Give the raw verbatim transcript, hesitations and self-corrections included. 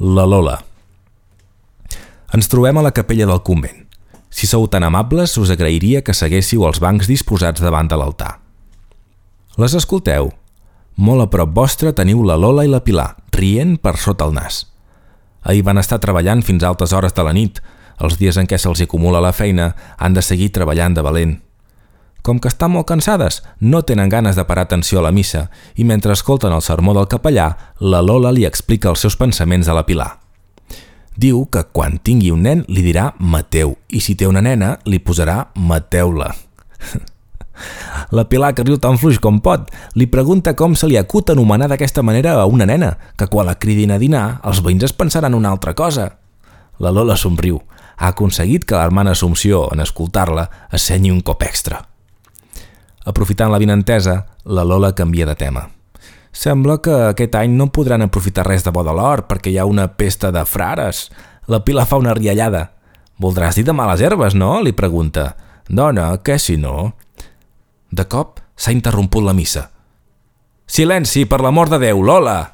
La Lola. Ens trobem a la capella del convent. Si sou tan amables, us agrairia que seguéssiu els bancs disposats davant de l'altar. Les escolteu? Molt a prop vostre teniu la Lola i la Pilar, rient per sota el nas. Ahir van estar treballant fins a altes hores de la nit. Els dies en què se'ls acumula la feina han de seguir treballant de valent. Com que estan molt cansades, no tenen ganes de parar atenció a la missa i mentre escolten el sermó del capellà, la Lola li explica els seus pensaments a la Pilar. Diu que quan tingui un nen li dirà Mateu i si té una nena li posarà Mateu-la. La Pilar, que riu tan fluix com pot, li pregunta com se li acut anomenar d'aquesta manera a una nena, que quan la cridin a dinar els veïns es pensaran una altra cosa. La Lola somriu. Ha aconseguit que l'hermana Assumpció, en escoltar-la, assenyi un cop extra. Aprofitant la vinentesa, la Lola canvia de tema. Sembla que aquest any no podran aprofitar res de bo de l'hort perquè hi ha una pesta de frares. La Pilar fa una riallada. Voldràs dir de males herbes, no? Li pregunta. Dona, què si no? De cop s'ha interromput la missa. Silenci, per l'amor de Déu, Lola!